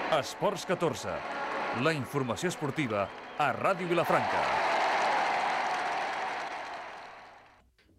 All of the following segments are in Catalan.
Esports 14, la informació esportiva a Ràdio Vilafranca.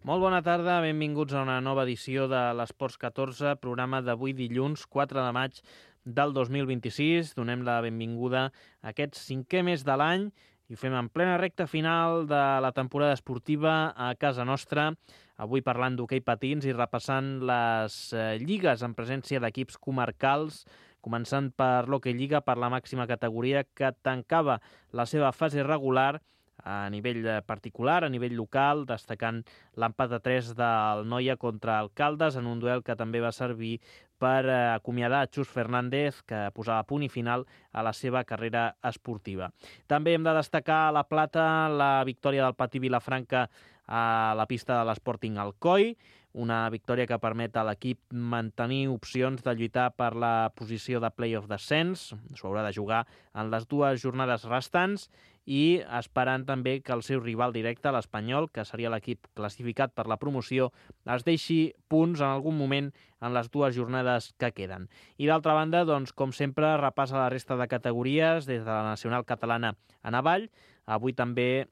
Molt bona tarda, benvinguts a una nova edició de l'Esports 14, programa d'avui dilluns 4 de maig del 2026. Donem la benvinguda a aquest cinquè mes de l'any i ho fem en plena recta final de la temporada esportiva a casa nostra. Avui parlant d'hoquei patins i repassant les lligues en presència d'equips comarcals, començant per l'Hoquei Lliga, per la màxima categoria que tancava la seva fase regular a nivell particular, a nivell local, destacant l'empat a 3 del Noia contra el Caldes en un duel que també va servir per acomiadar Xus Fernández, que posava punt i final a la seva carrera esportiva. També hem de destacar a la plata la victòria del Patí Vilafranca a la pista de l'Sporting Alcoi, una victòria que permet a l'equip mantenir opcions de lluitar per la posició de play-off descens. S'ho haurà de jugar en les dues jornades restants i esperant també que el seu rival directe, l'Espanyol, que seria l'equip classificat per la promoció, es deixi punts en algun moment en les dues jornades que queden. I d'altra banda, doncs, com sempre, repassa la resta de categories des de la nacional catalana en avall. Avui també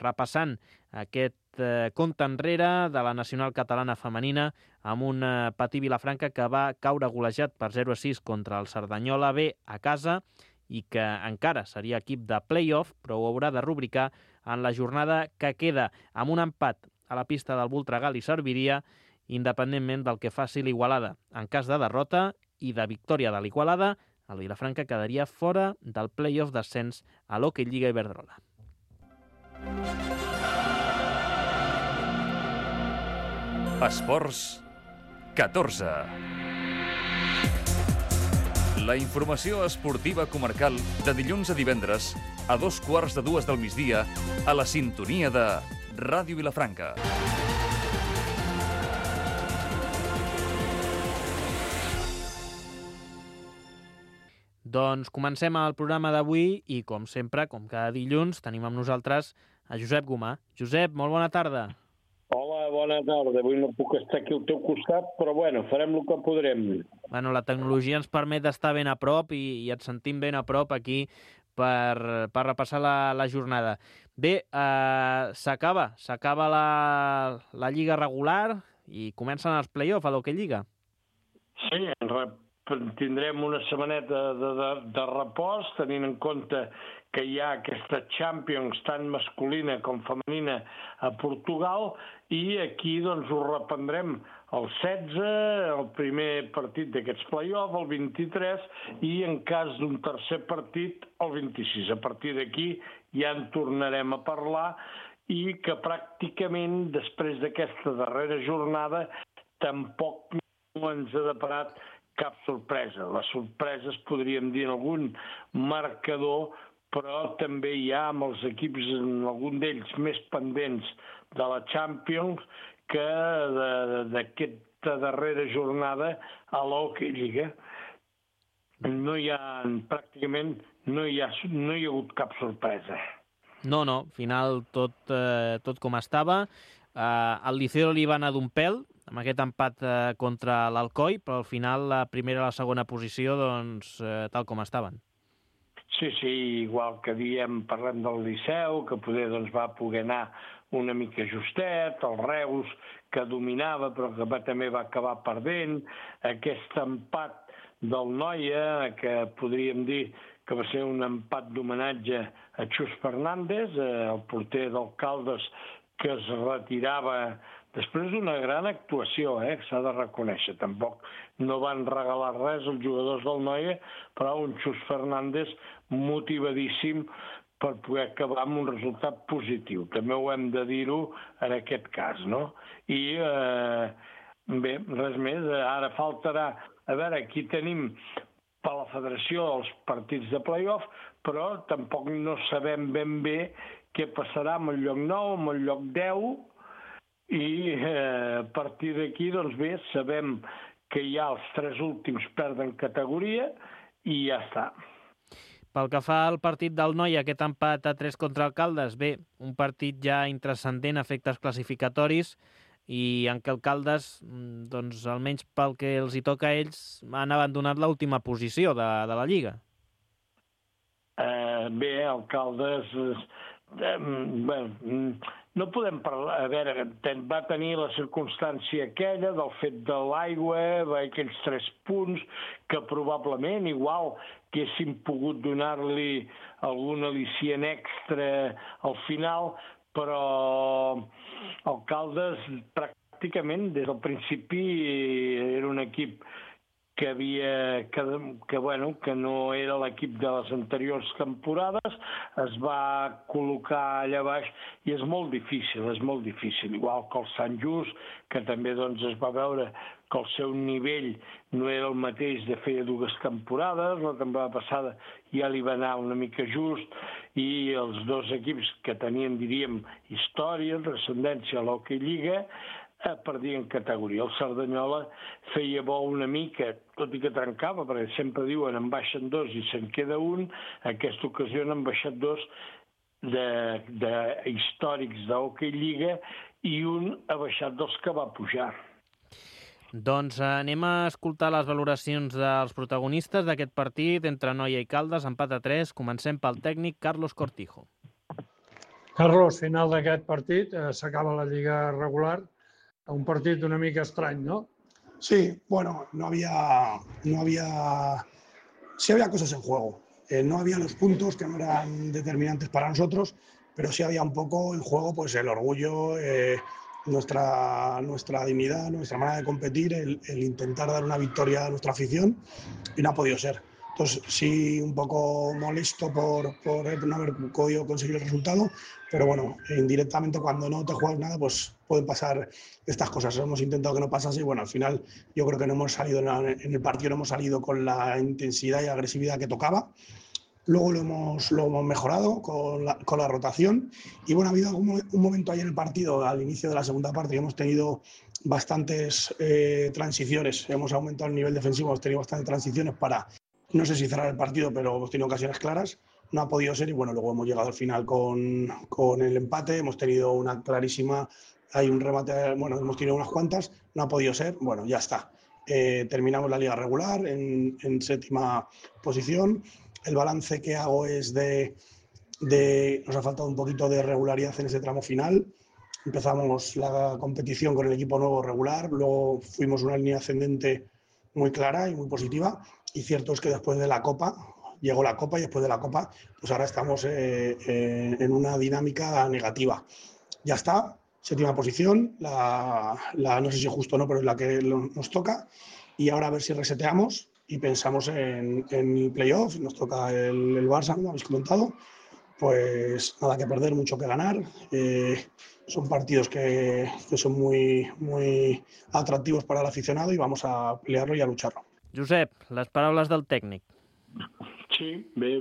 repassant aquest compte enrere de la nacional catalana femenina amb un Patí Vilafranca que va caure golejat per 0-6 contra el Cerdanyola B a casa i que encara seria equip de play-off, però ho haurà de rubricar en la jornada que queda amb un empat a la pista del Voltregà li serviria independentment del que faci l'Igualada. En cas de derrota i de victòria de l'Igualada, el Vilafranca quedaria fora del play-off d'ascens a l'Hoquei Lliga Iberdrola. Esports 14. La informació esportiva comarcal de dilluns a divendres a 2:15 del migdia a la sintonia de Ràdio Vilafranca. Doncs comencem el programa d'avui i, com sempre, com cada dilluns, tenim amb nosaltres a Josep Gomà. Josep, molt bona tarda. Hola, bona tarda. Avui no puc estar aquí al teu costat, però bueno, farem el que podrem. Bueno, la tecnologia ens permet estar ben a prop i et sentim ben a prop aquí per repassar la jornada. Bé, s'acaba la Lliga regular i comencen els play-off a l'Hoquei Lliga. Sí, tindrem una setmaneta de repòs, tenint en compte que hi ha aquesta Champions tant masculina com femenina a Portugal i aquí doncs ho reprendrem el 16, el primer partit d'aquests play-off, el 23 i en cas d'un tercer partit el 26. A partir d'aquí ja en tornarem a parlar i que pràcticament després d'aquesta darrera jornada tampoc no ens ha deparat cap sorpresa. Les sorpreses podríem dir en algun marcador, però també hi ha amb els equips, en algun d'ells més pendents de la Champions, que d'aquesta darrera jornada a l'Hoquei Lliga pràcticament no hi ha hagut cap sorpresa. No, final tot com estava. El Liceo li va anar d'un pèl amb aquest empat contra l'Alcoi, però al final la primera i la segona posició doncs tal com estaven. Sí, igual que parlem del Liceu, que poder va poder anar una mica justet, el Reus, que dominava però que també va acabar perdent, aquest empat del Noia, que podríem dir que va ser un empat d'homenatge a Xus Fernández, el porter del Caldes, que es retirava després d'una gran actuació, que s'ha de reconèixer. Tampoc no van regalar res els jugadors del Noia, però un Xus Fernández motivadíssim per poder acabar amb un resultat positiu. També ho hem de dir-ho en aquest cas, no? I bé, res més. Ara faltarà, a veure, aquí tenim per la federació els partits de play-off, però tampoc no sabem ben bé què passarà amb el lloc 9, amb el lloc 10, i a partir d'aquí, doncs bé, sabem que ja els 3 últims perden categoria i ja està. Pel que fa al partit del Noia, aquest empat a 3 contra el Caldes, bé, un partit ja intranscendent a efectes classificatoris i en què el Caldes, doncs almenys pel que els hi toca a ells, han abandonat l'última posició de la Lliga. bé, Alcaldes... no podem parlar... A veure, va tenir la circumstància aquella del fet de l'aigua, aquells 3 punts, que probablement igual que haguéssim pogut donar-li algun al·licient extra al final, però Alcaldes pràcticament des del principi era un equip que no era l'equip de les anteriors temporades, es va col·locar allà baix i és molt difícil, igual que el Sant Just, que també doncs, es va veure que el seu nivell no era el mateix de feia 2 temporades, la temporada passada ja li va anar una mica just, i els 2 equips que tenien, diríem, història, transcendència a l'Hockey Lliga, perdien categoria. El Cerdanyola feia bo una mica, tot i que trencava, perquè sempre diuen en baixen 2 i se'n queda un, aquesta ocasió n'han baixat 2 de històrics d'Hockey Lliga i un ha baixat dels que va pujar. Doncs anem a escoltar les valoracions dels protagonistes d'aquest partit entre Noia i Caldes, empat a 3. Comencem pel tècnic Carlos Cortijo. Carlos, final d'aquest partit, s'acaba la lliga regular. Un partit una mica estrany, ¿no? Sí, bueno, sí había cosas en juego. No había los puntos que no eran determinantes para nosotros, pero sí había un poco en juego pues el orgullo, nuestra dignidad, nuestra manera de competir, el intentar dar una victoria a nuestra afición, y no ha podido ser. Entonces sí, un poco molesto por no haber podido conseguir el resultado, pero bueno, indirectamente cuando no te juegas nada, pues pueden pasar estas cosas. Hemos intentado que no pasase y bueno, al final yo creo que no hemos salido en el partido, no hemos salido con la intensidad y agresividad que tocaba. Luego lo hemos mejorado con la rotación y bueno, ha habido un momento ahí en el partido, al inicio de la segunda parte, que hemos tenido bastantes transiciones, hemos aumentado el nivel defensivo, hemos tenido bastantes transiciones para, no sé si cerrar el partido, pero hemos tenido ocasiones claras, no ha podido ser y bueno, luego hemos llegado al final con el empate, hemos tenido una clarísima, hay un remate, bueno, hemos tenido unas cuantas, no ha podido ser, bueno, ya está. Terminamos la liga regular en 7ª posición. El balance que hago es nos ha faltado un poquito de regularidad en ese tramo final. Empezamos la competición con el equipo nuevo regular, luego fuimos una línea ascendente muy clara y muy positiva. Y cierto es que después de la Copa, llegó la Copa y después de la Copa, pues ahora estamos en una dinámica negativa. Ya está, 7ª posición, no sé si justo o no, pero es la que nos toca. Y ahora a ver si reseteamos y pensamos en el playoff. Nos toca el Barça, como habéis comentado. Pues nada que perder, mucho que ganar. Son partidos que son muy, muy atractivos para el aficionado y vamos a pelearlo y a lucharlo. Josep, les paraules del tècnic. Sí, bé,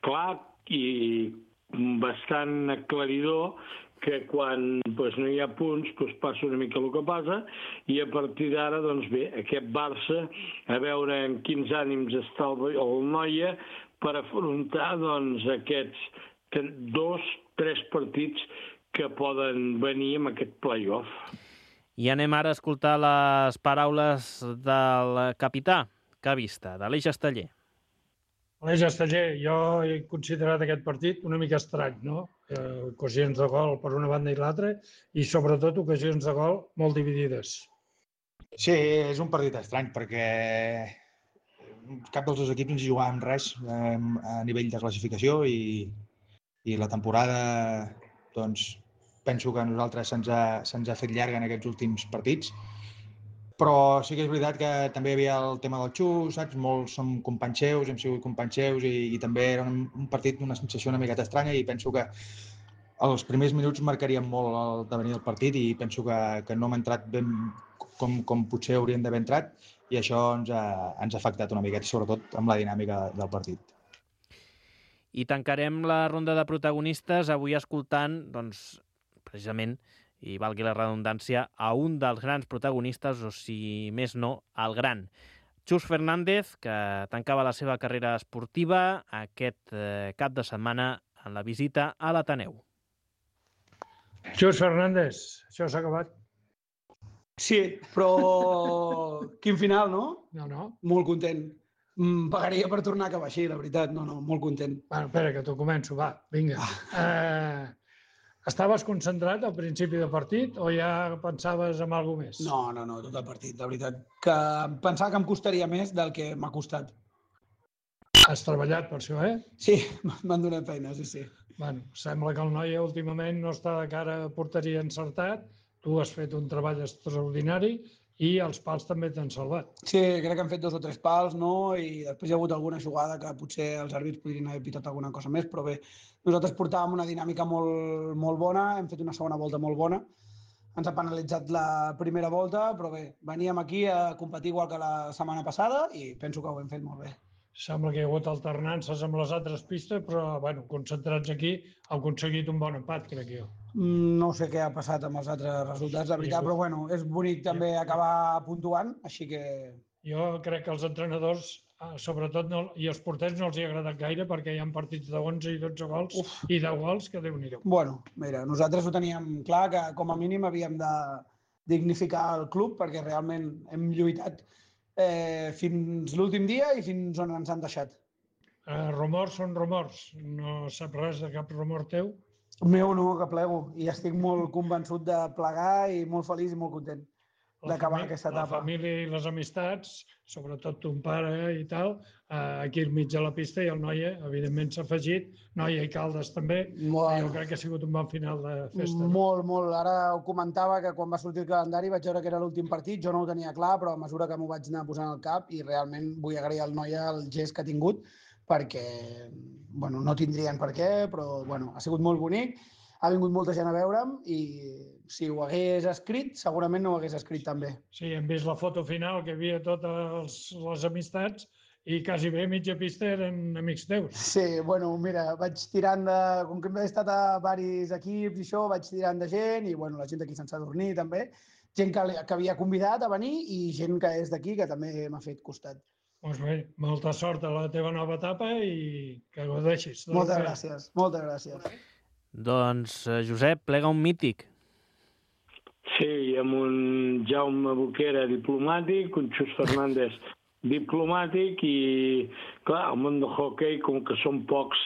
clar i bastant aclaridor que quan no hi ha punts passa una mica el que passa i a partir d'ara, aquest Barça, a veure en quins ànims està el Noia per afrontar aquests 2-3 partits que poden venir amb aquest play-off. I anem ara a escoltar les paraules del capità, Cavista, de l'Eix Esteller. L'Eix Esteller, jo he considerat aquest partit una mica estrany, no? Ocasions de gol per una banda i l'altra i sobretot ocasions de gol molt dividides. Sí, és un partit estrany perquè cap dels 2 equips ens jugàvem res a nivell de classificació i la temporada, doncs, penso que a nosaltres se'ns ha fet llarga en aquests últims partits. Però sí que és veritat que també hi havia el tema del xus, saps? Molts som companys seus, hem sigut companys seus i també era un partit d'una sensació una miqueta estranya i penso que els primers minuts marcarien molt el devenir del partit i penso que no hem entrat ben com potser hauríem d'haver entrat i això ens ha afectat una miqueta, sobretot amb la dinàmica del partit. I tancarem la ronda de protagonistes avui escoltant, doncs, precisament, i valgui la redundància, a un dels grans protagonistes, o si més no, el gran. Xus Fernández, que tancava la seva carrera esportiva aquest cap de setmana en la visita a l'Ateneu. Xus Fernández, això s'ha acabat. Sí, però quin final, no? No. Molt content. Pagaria per tornar a acabar així, la veritat. No, molt content. Bueno, espera, que t'ho començo, va, vinga. Estaves concentrat al principi del partit o ja pensaves en alguna més? No, tot el partit, la veritat. Que pensava que em costaria més del que m'ha costat. Has treballat per això, eh? Sí, m'han donat feina, sí. Bueno, sembla que el Noia últimament no està de cara a porteria encertat. Tu has fet un treball extraordinari i els pals també t'han salvat. Sí, crec que han fet 2 o 3 pals, no? I després hi ha hagut alguna jugada que potser els àrbits podrien haver pitat alguna cosa més, però bé, nosaltres portàvem una dinàmica molt bona, hem fet una segona volta molt bona, ens ha penalitzat la primera volta, però bé, veníem aquí a competir igual que la setmana passada i penso que ho hem fet molt bé. Sembla que hi ha hagut alternances amb les altres pistes, però, bueno, concentrats aquí, heu aconseguit un bon empat, crec jo. No sé què ha passat amb els altres resultats, la veritat, però bueno, és bonic també acabar puntuant, així que... Jo crec que els entrenadors, sobretot, i els porters no els hi ha agradat gaire perquè hi ha partits de 11 i 12 gols i 10 gols que Déu-n'hi-do. Bueno, mira, nosaltres ho teníem clar que com a mínim havíem de dignificar el club perquè realment hem lluitat fins l'últim dia i fins on ens han deixat. Rumors són rumors. No sap res de cap rumor teu? Meu no, que plego. I estic molt convençut de plegar i molt feliç i molt content d'acabar aquesta etapa. La família i les amistats, sobretot ton pare i tal, aquí al mig de la pista i el Noia, evidentment, s'ha afegit. Noia i Caldes també. Bueno. Jo crec que ha sigut un bon final de festa. Molt. Ara ho comentava que quan va sortir el calendari vaig veure que era l'últim partit, jo no ho tenia clar, però a mesura que m'ho vaig anar posant al cap i realment vull agrair al Noia el gest que ha tingut perquè, bueno, no tindrien per què, però, bueno, ha sigut molt bonic. Ha vingut molta gent a veure'm i si ho hagués escrit, segurament no ho hagués escrit també. Sí, hem vist la foto final que hi havia totes les amistats i quasi bé mitja pista eren amics teus. Sí, bueno, mira, vaig tirant de... Com que he estat a diversos equips i això, vaig tirant de gent i, bueno, la gent d'aquí Sant Sadurní també, gent que havia convidat a venir i gent que és d'aquí que també m'ha fet costat. Doncs bé, molta sort a la teva nova etapa i que gaudeixis. Moltes gràcies. Doncs, Josep, plega un mític. Sí, amb un Jaume Boquera diplomàtic, un Xus Fernández diplomàtic i, clar, el món del hoquei, com que són pocs,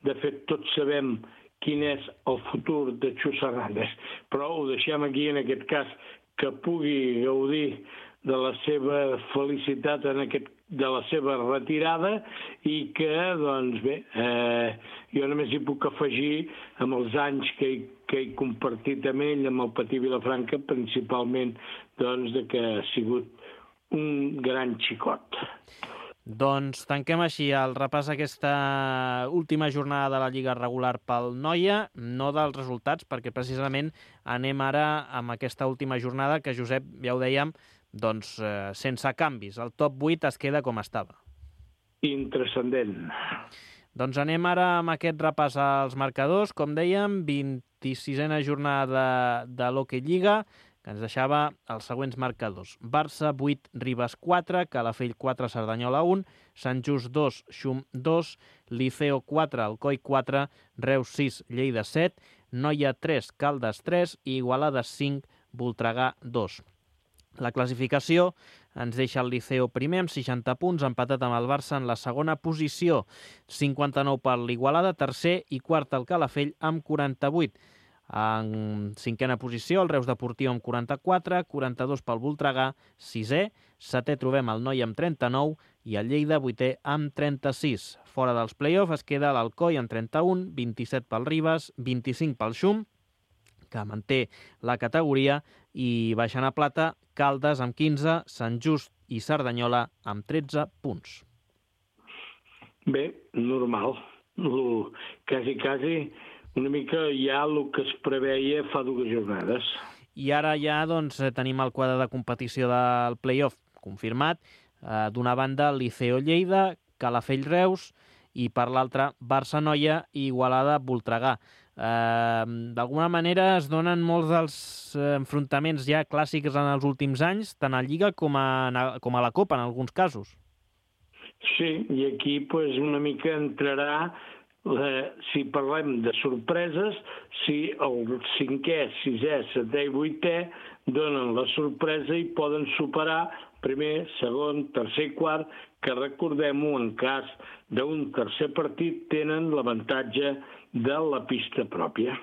de fet tots sabem quin és el futur de Xus Fernández, però ho deixem aquí en aquest cas que pugui gaudir de la seva felicitat de la seva retirada i que, doncs bé, jo només hi puc afegir amb els anys que he compartit amb ell, amb el Patí Vilafranca, principalment doncs, que ha sigut un gran xicot. Doncs tanquem així el repàs aquesta última jornada de la Lliga regular pel Noia, no dels resultats, perquè precisament anem ara amb aquesta última jornada que, Josep, ja ho dèiem, doncs sense canvis. El top 8 es queda com estava. Intranscendent. Doncs anem ara amb aquest repàs als marcadors. Com dèiem, 26a jornada de l'Hockey Lliga, que ens deixava els següents marcadors. Barça 8, Ribes 4, Calafell 4, Cerdanyola 1, Sant Just 2, Xum 2, Liceo 4, Alcoi 4, Reus 6, Lleida 7, Noia 3, Caldes 3 i Igualada 5, Voltregà 2. La classificació ens deixa el Liceo primer amb 60 punts, empatat amb el Barça en la segona posició, 59 per l'Igualada, tercer i quart el Calafell amb 48. En cinquena posició el Reus Deportiu amb 44, 42 pel Voltregà, sisè, setè trobem el Noia amb 39 i el Lleida vuitè amb 36. Fora dels play-offs es queda l'Alcoi amb 31, 27 pel Ribes, 25 pel Xum, que manté la categoria, i baixant a plata Caldes amb 15, Sant Just i Cerdanyola amb 13 punts. Bé, normal. Quasi una mica ja el que es preveia fa 2 jornades. I ara ja doncs, tenim el quadre de competició del play-off confirmat. D'una banda, Liceo Lleida, Calafell Reus, i per l'altra, Barça Noia i Igualada Voltregà. D'alguna manera es donen molts dels enfrontaments ja clàssics en els últims anys, tant a Lliga com a la Copa, en alguns casos. Sí, i aquí pues, una mica entrarà, si parlem de sorpreses, si el 5è, 6è, 7è i 8è donen la sorpresa i poden superar primer, segon, tercer i quart, que recordem-ho, en cas d'un tercer partit tenen l'avantatge de la pista pròpia.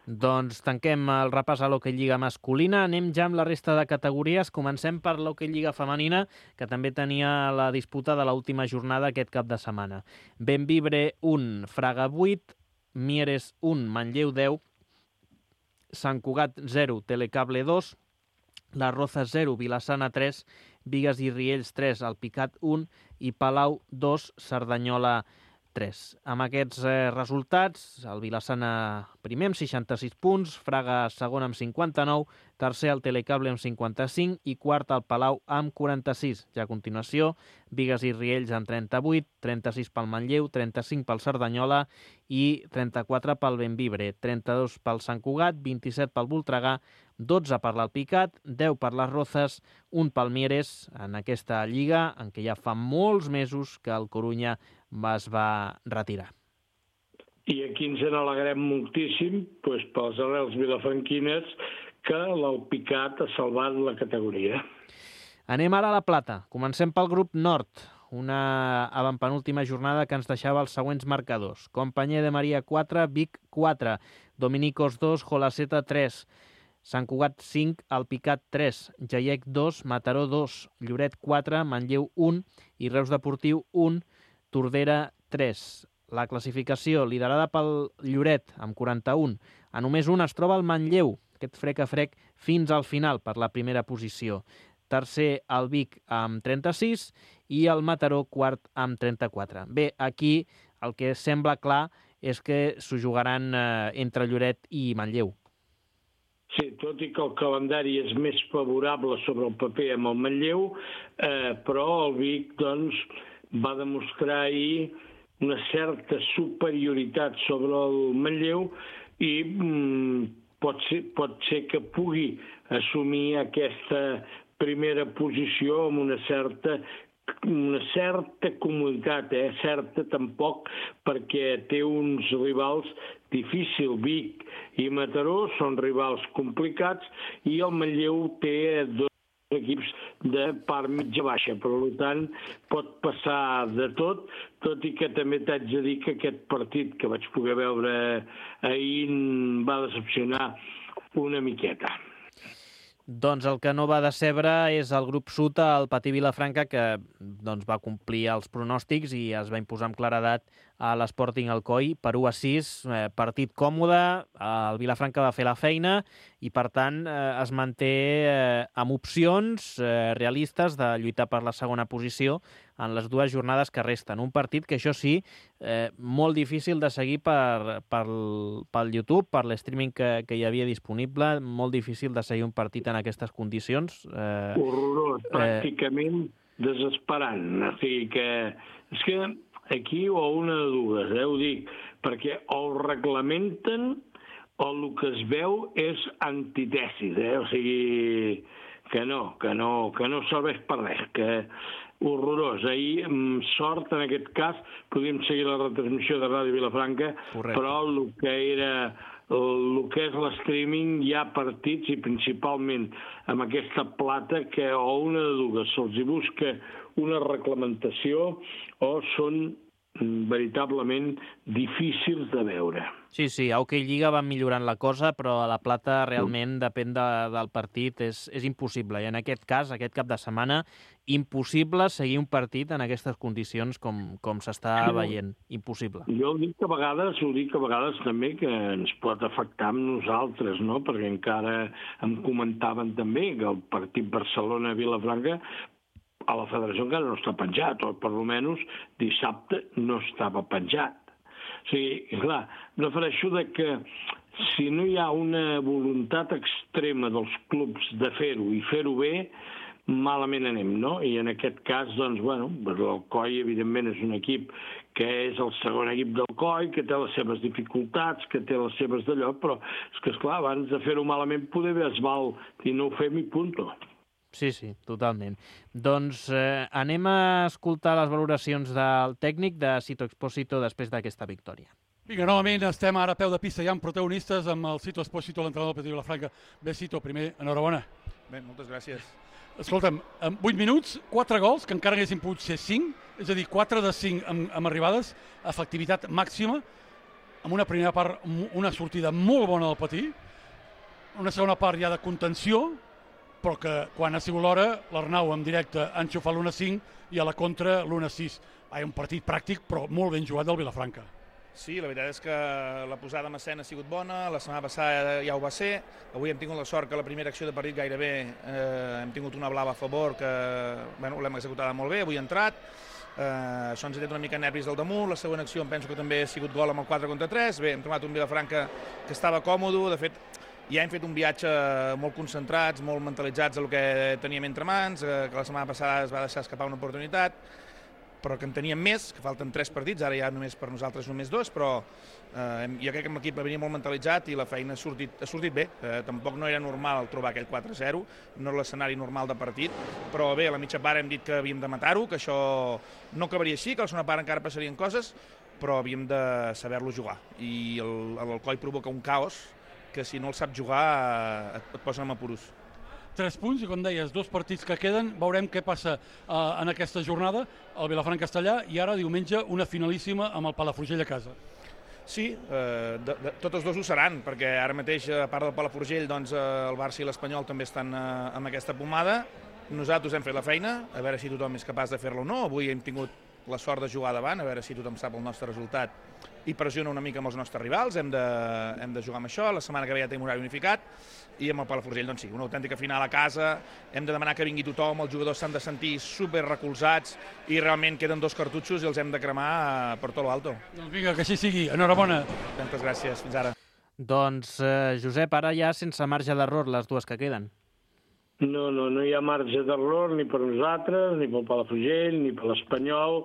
Doncs tanquem el repàs a l'Hockey Lliga masculina. Anem ja amb la resta de categories. Comencem per l'Hockey Lliga femenina, que també tenia la disputa de l'última jornada aquest cap de setmana. Bembibre 1, Fraga 8, Mieres 1, Manlleu 10, Sant Cugat 0, Telecable 2, La Roza 0, Vilassana 3, Bigues i Riells 3, Alpicat 1 i Palau 2, Cerdanyola 3. Amb aquests resultats, el Vilassana primer amb 66 punts, Fraga segon amb 59, tercer el Telecable amb 55 i quart el Palau amb 46. Ja a continuació, Bigues i Riells amb 38, 36 pel Manlleu, 35 pel Cerdanyola i 34 pel Bembibre, 32 pel Sant Cugat, 27 pel Voltregà, 12 per l'Alpicat, 10 per les Rozas, 1 pel Mieres, en aquesta lliga en què ja fa molts mesos que el Corunya es va retirar. I aquí ens n'alegrem moltíssim pels arrels vilafranquines que l'Alpicat ha salvat la categoria. Anem ara a la Plata. Comencem pel grup Nord, una avantpenúltima jornada que ens deixava els següents marcadors. Companyer de Maria 4, Vic 4, Dominicos 2, Jolaceta 3, Sant Cugat 5, Alpicat 3, Jaiec 2, Mataró 2, Lloret 4, Manlleu 1 i Reus Deportiu 1, Tordera 3. La classificació liderada pel Lloret amb 41. A només un es troba el Manlleu, aquest frec a frec fins al final per la primera posició. Tercer el Vic amb 36 i el Mataró quart amb 34. Bé, aquí el que sembla clar és que s'ho jugaran entre Lloret i Manlleu. Sí, tot i que el calendari és més favorable sobre el paper amb el Manlleu, però el Vic doncs, va demostrar ahir una certa superioritat sobre el Manlleu i pot ser que pugui assumir aquesta primera posició amb una certa comoditat, certa tampoc, perquè té uns rivals difícils. Vic i Mataró són rivals complicats i el Manlleu té dos equips de part mitja-baixa, per tant pot passar de tot i que també t'haig de dir que aquest partit que vaig poder veure ahir va decepcionar una miqueta. Doncs el que no va decebre és el grup Sud, el Patí Vilafranca, que doncs, va complir els pronòstics i es va imposar amb claredat a l'Sporting Alcoi per 1-6, partit còmode, el Vilafranca va fer la feina i per tant es manté amb opcions realistes de lluitar per la segona posició en les dues jornades que resten. Un partit que, això sí, molt difícil de seguir pel YouTube, per l'streaming que hi havia disponible, molt difícil de seguir un partit en aquestes condicions. Horrorós, pràcticament desesperant. O sigui que és que aquí o una de dues, ho dic, perquè o reglamenten o el que es veu és antitesis, o sigui que no serveix per res, que horrorós. Ahir, amb sort, en aquest cas, podíem seguir la retransmissió de Ràdio Vilafranca, correcte. Però el que és l'streaming hi ha partits i principalment amb aquesta plata que o una de dues se'ls hi busca una reglamentació o són veritablement difícils de veure. Sí, a Hockey Lliga van millorant la cosa, però a la Plata realment depèn del partit, és impossible. I en aquest cas, aquest cap de setmana, impossible seguir un partit en aquestes condicions com s'està veient. Impossible. Jo ho dic a vegades també que ens pot afectar amb nosaltres, no? Perquè encara em comentaven també que el partit Barcelona-Vilafranca a la federació encara no està penjat, o per almenys dissabte no estava penjat. O sigui, clar, em refereixo que si no hi ha una voluntat extrema dels clubs de fer-ho i fer-ho bé, malament anem, no? I en aquest cas, doncs, l'Alcoi, evidentment, és un equip que és el segon equip del COI, que té les seves dificultats, que té les seves d'allò, però és que, esclar, abans de fer-ho malament poder bé es val i no ho fem i punto. Sí, totalment. Doncs anem a escoltar les valoracions del tècnic de Sito Expósito després d'aquesta victòria. Vinga, novament estem ara a peu de pista ja amb protagonistes, amb el Cito Espósito, l'entrenador del Petit Vilafranca. Bé, Cito, primer, enhorabona. Bé, moltes gràcies. Escolta'm, en 8 minuts, 4 gols, que encara haguessin pogut ser 5, és a dir, 4 de 5 amb arribades, efectivitat màxima, amb una primera part, una sortida molt bona del Patí, una segona part ja de contenció, però que quan ha sigut l'hora, l'Arnau en directe ha enxufat l'1-5 i a la contra l'1-6. Un partit pràctic, però molt ben jugat del Vilafranca. Sí, la veritat és que la posada en escena ha sigut bona, la setmana passada ja ho va ser, avui hem tingut la sort que la primera acció de partit gairebé hem tingut una blava a favor que l'hem executada molt bé, avui ha entrat, això ens ha tret una mica nervis del damunt, la segona acció em penso que també ha sigut gol amb el 4-3, bé, hem trobat un Vilafranca que estava còmode, de fet ja hem fet un viatge molt concentrats, molt mentalitzats en el que teníem entre mans, que la setmana passada es va deixar escapar una oportunitat, però que en teníem més, que falten 3 partits, ara ja només per nosaltres només 2, però jo crec que l'equip venia molt mentalitzat i la feina ha sortit bé. Tampoc no era normal trobar aquell 4-0, no era l'escenari normal de partit, però bé, a la mitja part hem dit que havíem de matar-ho, que això no acabaria així, que a la segona part encara passarien coses, però havíem de saber-lo jugar. I l'Alcoi provoca un caos que si no el sap jugar et posen en apuros. 3 punts i, com deies, 2 partits que queden. Veurem què passa en aquesta jornada, el Vilafranca-Castellà, i ara diumenge una finalíssima amb el Palafrugell a casa. Sí, totes dos ho seran, perquè ara mateix, a part del Palafrugell, doncs, el Barça i l'Espanyol també estan amb aquesta pomada. Nosaltres hem fet la feina, a veure si tothom és capaç de fer-la o no. Avui hem tingut la sort de jugar davant, a veure si tothom sap el nostre resultat i pressiona una mica amb els nostres rivals. Hem de jugar amb això, la setmana que ve ja tenim horari unificat, i amb el Palafrugell, doncs sí, una autèntica final a casa, hem de demanar que vingui tothom, els jugadors s'han de sentir super recolzats i realment queden 2 cartutxos i els hem de cremar per tot l'alto. Doncs vinga, que així sigui. Enhorabona. Moltes gràcies, fins ara. Doncs, Josep, ara ja sense marge d'error les dues que queden. No hi ha marge d'error ni per nosaltres, ni pel Palafrugell, ni per l'Espanyol.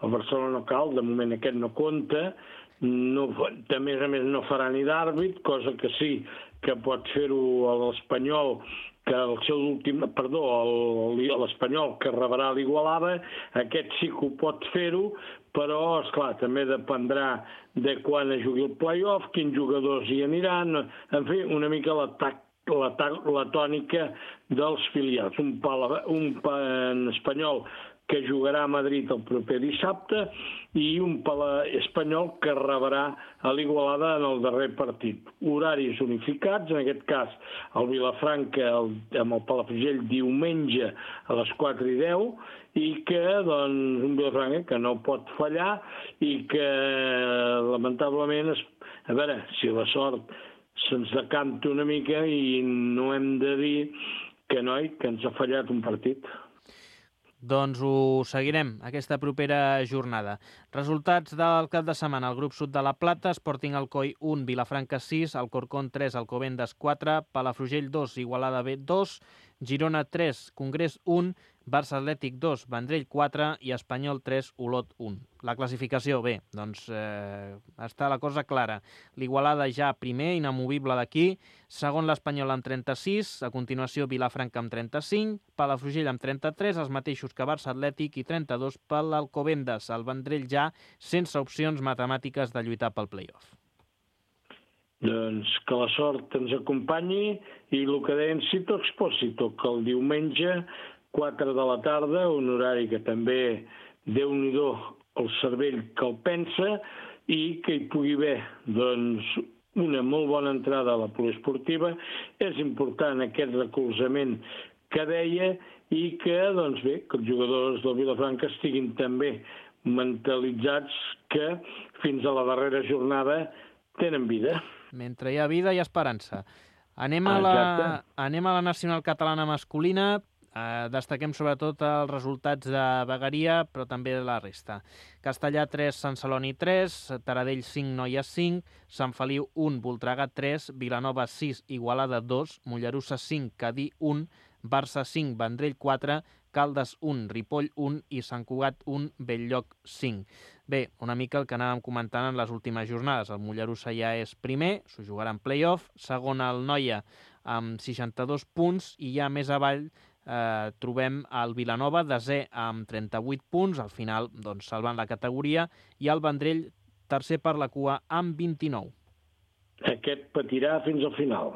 El Barcelona no cal, de moment aquest no compta. A més no farà ni d'àrbit, cosa que sí que pot fer-ho l'Espanyol, que el seu últim, l'Espanyol que rebrà l'Igualada, aquest sí que ho pot fer-ho, però, esclar, també dependrà de quan es jugui el play-off, quins jugadors hi aniran, en fi, una mica la tònica dels filials. Un espanyol que jugarà a Madrid el proper dissabte i un espanyol que rebrà a l'Igualada en el darrer partit. Horaris unificats, en aquest cas el Vilafranca amb el Palafrugell diumenge a les 4:10 i que, doncs, un Vilafranca que no pot fallar i que, lamentablement, a veure, si la sort se'ns decanta una mica i no hem de dir que ens ha fallat un partit. Doncs ho seguirem, aquesta propera jornada. Resultats del cap de setmana. El grup sud de la Plata, Sporting Alcoi 1, Vilafranca 6, Alcorcón 3, Alcobendas 4, Palafrugell 2, Igualada B 2, Girona 3, Congrés 1, Barça Atlètic 2, Vendrell 4 i Espanyol 3, Olot 1. La classificació, bé, doncs està la cosa clara. L'Igualada ja primer, inamovible d'aquí, segon l'Espanyol amb 36, a continuació Vilafranca amb 35, Palafrugell amb 33, els mateixos que Barça Atlètic i 32 per l'Alcobendas. El Vendrell ja sense opcions matemàtiques de lluitar pel play-off. Doncs que la sort ens acompanyi i el que deien Cito Expósito, que el diumenge 4 de la tarda, un horari que també Déu-n'hi-do el cervell que el pensa i que hi pugui haver doncs, una molt bona entrada a la poliesportiva. És important aquest recolzament que deia i que, doncs bé, que els jugadors del Vilafranca estiguin també mentalitzats que fins a la darrera jornada tenen vida. Mentre hi ha vida, hi ha esperança. Anem a la nacional catalana masculina. Destaquem sobretot els resultats de Vegueria, però també de la resta. Castellà 3, Sant Celoni 3, Taradell 5, Noies 5, Sant Feliu 1, Voltregà 3, Vilanova 6, Igualada 2, Mollerussa 5, Cadí 1, Barça 5, Vendrell 4, Caldes 1, Ripoll 1 i Sant Cugat 1, Belllloc 5. Bé, una mica el que anàvem comentant en les últimes jornades. El Mollerussa ja és primer, s'ho jugarà en play-off, segon el Noia amb 62 punts i ja més avall trobem el Vilanova, desè amb 38 punts, al final doncs, salvant la categoria, i el Vendrell tercer per la cua amb 29. Aquest patirà fins al final.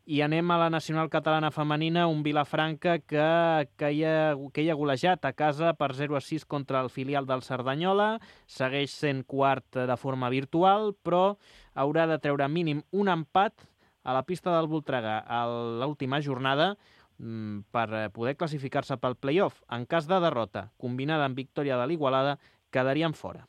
I anem a la nacional catalana femenina, un Vilafranca que hi ha golejat a casa per 0-6 contra el filial del Cerdanyola, segueix sent quart de forma virtual, però haurà de treure mínim un empat a la pista del Voltregà a l'última jornada per poder classificar-se pel play-off. En cas de derrota, combinada amb victòria de l'Igualada, quedarien fora.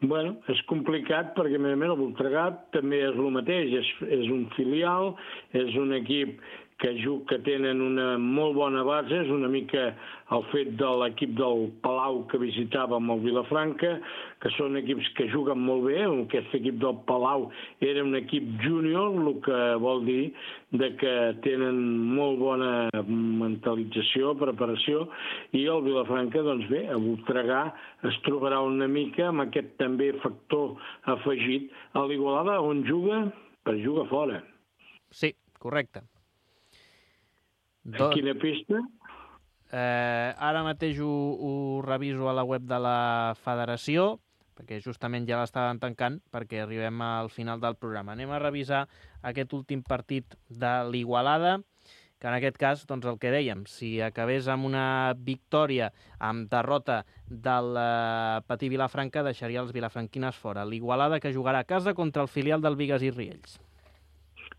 Bueno, és complicat perquè, a més a més, el Voltregà també és el mateix, és un filial, és un equip que tenen una molt bona base, és una mica el fet de l'equip del Palau que visitàvem el Vilafranca, que són equips que juguen molt bé. Aquest equip del Palau era un equip júnior, el que vol dir que tenen molt bona mentalització, preparació, i el Vilafranca, doncs bé, a Voltregà es trobarà una mica amb aquest també factor afegit a l'Igualada, on juga per jugar fora. Sí, correcte. A quina pista? Ara mateix ho reviso a la web de la federació, perquè justament ja l'estaven tancant, perquè arribem al final del programa. Anem a revisar aquest últim partit de l'Igualada, que en aquest cas, doncs el que dèiem, si acabés amb una victòria, amb derrota del Patí Vilafranca, deixaria els vilafranquines fora. L'Igualada que jugarà a casa contra el filial del Bigues i Riells.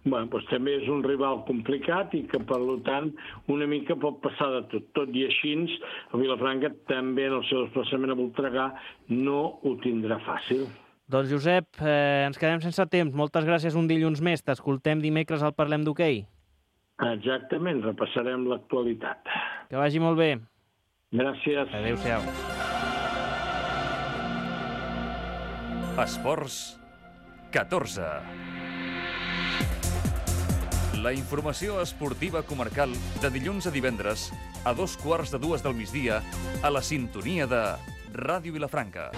Bueno, doncs també és un rival complicat i que, per tant, una mica pot passar de tot. Tot i així, el Vilafranca també en el seu desplaçament a Voltregà no ho tindrà fàcil. Doncs, Josep, ens quedem sense temps. Moltes gràcies un dilluns més. T'escoltem dimecres al Parlem d'Hoquei. Exactament, repassarem l'actualitat. Que vagi molt bé. Gràcies. Adéu-siau. Esports 14. La informació esportiva comarcal de dilluns a divendres a 2:15 del migdia a la sintonia de Ràdio Vilafranca.